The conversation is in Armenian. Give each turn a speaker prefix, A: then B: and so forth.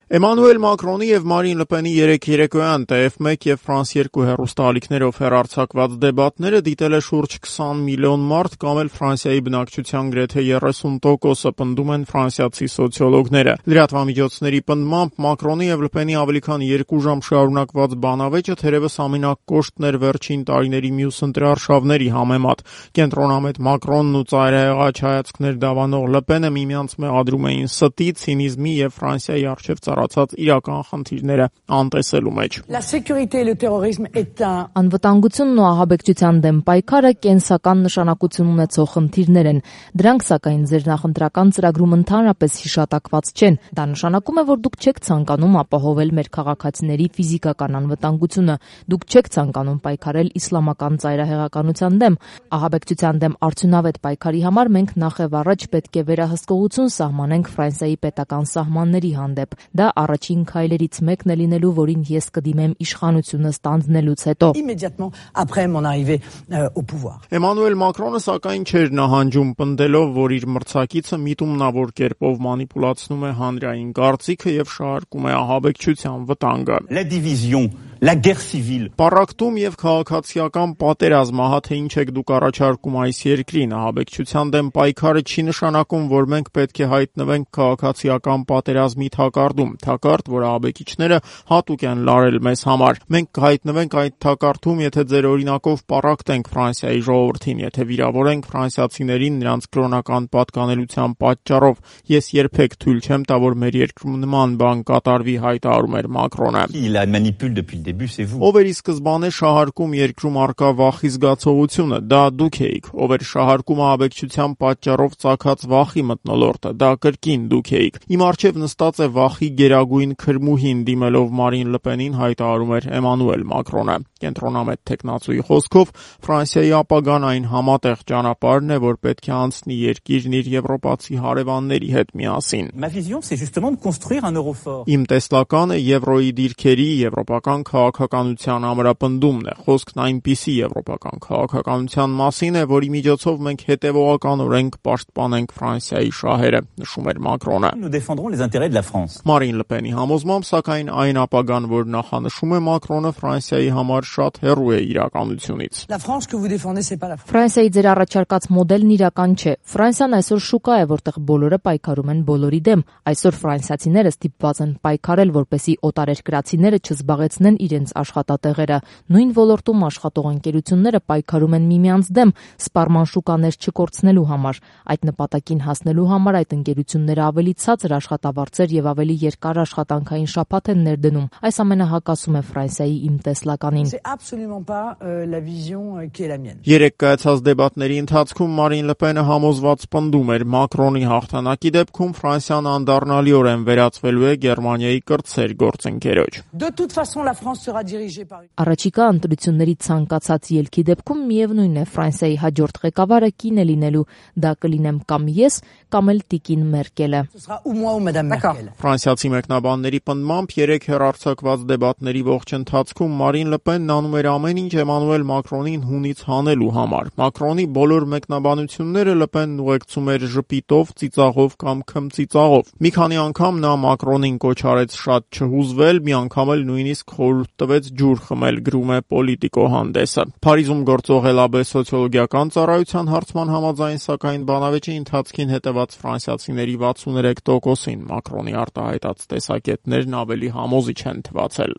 A: Էմանուել Մակրոնի և Մարին Լպենի երեկ երեկոյան TF1 և France 2 հեռուստաալիքներով հեռարձակված դեբատները դիտել է շուրջ 20 միլիոն մարդ կամ էլ Ֆրանսիայի բնակչության գրեթե 30%-ը, պնդում են ֆրանսիացի սոցիոլոգները։ Լրատվամիջոցների պնդմամբ Մակրոնի և Լպենի ավելի քան 2 ժամ շարունակված բանավեճը թերևս ամենակոշտն էր վերջին տարիների մյուս ընտրարշավների համեմատ։ Կենտրոնամետ Մակրոնն ու ծայրահեղաչ հայացքներ դավանող Լպենը միմյանց մեղադրում էին ստի, ցինիզմի և Ֆրանսիայի առջև ծառացած իրական խնդիրները անտեսելու մեջ։
B: Անվտանգությունն ու ահաբեկչության դեմ պայքարը կենսական նշանակություն ունեցող խնդիրներ են։ Դրանք, սակայն, ձեր նախընտրական ծրագրում ընդհանրապես հիշատակված չեն։ Դա նշանակում է, որ դուք չեք ցանկանում ապահովել մեր քաղաքացիների ֆիզիկական անվտանգությունը։ Դուք չեք ցանկանում պայքարել իսլամական ծայրահեղականության դեմ։ Ահաբեկչության դեմ արդյունավետ պայքարի համար մենք նախևառաջ պետք է վերահսկողություն սահմանենք Ֆրանսիայի պետական սահմանների հանդեպ։ Դա առաջին քայլերից մեկն է լինելու, որին ես կդիմեմ իշխանությունը ստանձնելուց հետո։
A: Էմանուել Մակրոնը սակայն չէր նահանջում, պնդելով, որ իր մրցակիցը միտումնավոր կերպով մանիպուլացնում է հանրային կարծիքը և շահարկում է ահաբեկչության վտանգը։ Պառակտում և քաղաքացիական պատերազմ, ահա թե ինչ եք դուք առաջարկում այս երկրին։ Ահաբեկչության դեմ պայքարը չի նշանակում, որ մենք պետք է հայտնվենք քաղաքացիական պատերազմի թակարդում, թակարդ, որ ահաբեկիչները հատուկ են լարել մեզ համար։ Մենք կհայտնվենք այդ թակարդում, եթե ձեր օրինակով պառակտենք Ֆրանսիայի ժողովրդին, եթե վիրավորենք ֆրանսիացիներին նրանց կրոնական պատկանելության պատճառով։ Ես երբեք թույլ չեմ տա, որ մեր երկրում նման բան կատարվի, հայտարարում էր Մակրոնը։ Ով էր ի սկզբանե շահարկում երկրում առկա վախի զգացողությունը, դա դուք էիք։ Ով էր շահարկում ահաբեկչության պատճառով ծագած վախի մթնոլորտը, դա կրկին դուք էիք։ Իմ առջև նստած է վախի գերագույն քրմուհին, դիմելով Մարին Լպենին հայտարարում էր Էմանուել Մակրոնը։ Կենտրոնամետ թեկնածուի խոսքով Ֆրանսիայի ապագան այն համատեղ ճանապարհն է, որ պետք է անցնի երկիրն իր եվրոպացի հարևանների հետ միասին։ Իմ տեսլականը եվրոյի դիրքերի, եվրոպական քաղաքականության ամրապնդումն է։ Խոսքն այնպիսի եվրոպական քաղաքականության մասին է, որի միջոցով մենք հետևողականորեն կպաշտպանենք Ֆրանսիայի շահերը, նշում էր Մակրոնը։ Մարին Լպենի համոզմամբ, սակայն այն ապագան, որ նախանշում է Մակրոնը, Ֆրանսիայի համար շատ հեռու է իրականությունից։
B: Ֆրանսիայի ձեր առաջարկած մոդելն իրական չէ։ Ֆրանսիան այսօր շուկա է, որտեղ բոլորը պայքարում են բոլորի դեմ։ Այսօր ֆրանսիացիները ստիպված են պայքարել, որպեսզի օտարերկրացիները չզբաղեցնեն իրենց աշխատատեղերը։ Նույն ոլորտում աշխատող ընկերությունները պայքարում են միմյանց դեմ, սպառման շուկաներ չկորցնելու համար։ Այդ նպատակին հասնելու համար այդ ընկերությունները ավելի ցածր աշխատավարձեր և ավելի երկար աշխատանքային շաբաթ են ներդնում։ Այս ամենը հակասում է Ֆրանսիայի իմ տեսլականին։
A: Երեկ կայացած դեբատների ընթացքում Մարին Լպենը համոզված պնդում էր Մակրոնի հաղթանակի դեպքում Ֆրանսիան անդառնալիորեն վերածվելու է Գերմանիայի կրտսեր գործընկերոջ։
B: Առաջիկա ընտրությունների ցանկացած ելքի դեպքում միևնույն է, Ֆրանսիայի հաջորդ ղեկավարը կին է լինելու։ Դա կլինեմ կամ ես, կամ էլ տիկին Մերկելը։
A: Ֆրանսիացի մեկնաբանների պնդմամբ երեկ հեռարձակված դեբատների ողջ ընթացքում Մարին Լպենն անում էր ամեն ինչ Էմանուել Մակրոնին հունից հանելու համար։ Մակրոնի բոլոր մեկնաբանությունները Լպենն ուղեկցում էր ժպիտով, ծիծաղով կամ քմծիծաղով։ Մի քանի անգամ նա Մակրոնին կոչ արեց շատ չհուզվել, մի անգամ էլ նույնիսկ խորհուրդ տվեց ջուր խմել, գրում է Պոլիտիկո հանդեսը։ Փարիզում գործող Elabé սոցիոլոգիական ծառայության հարցման համաձայն, սակայն բանավեճի ընթացքին հետևած ֆրանսիացիների 63%-ին Մակրոնի արտահայտած տեսակետներն ավելի համոզիչ են թվացել։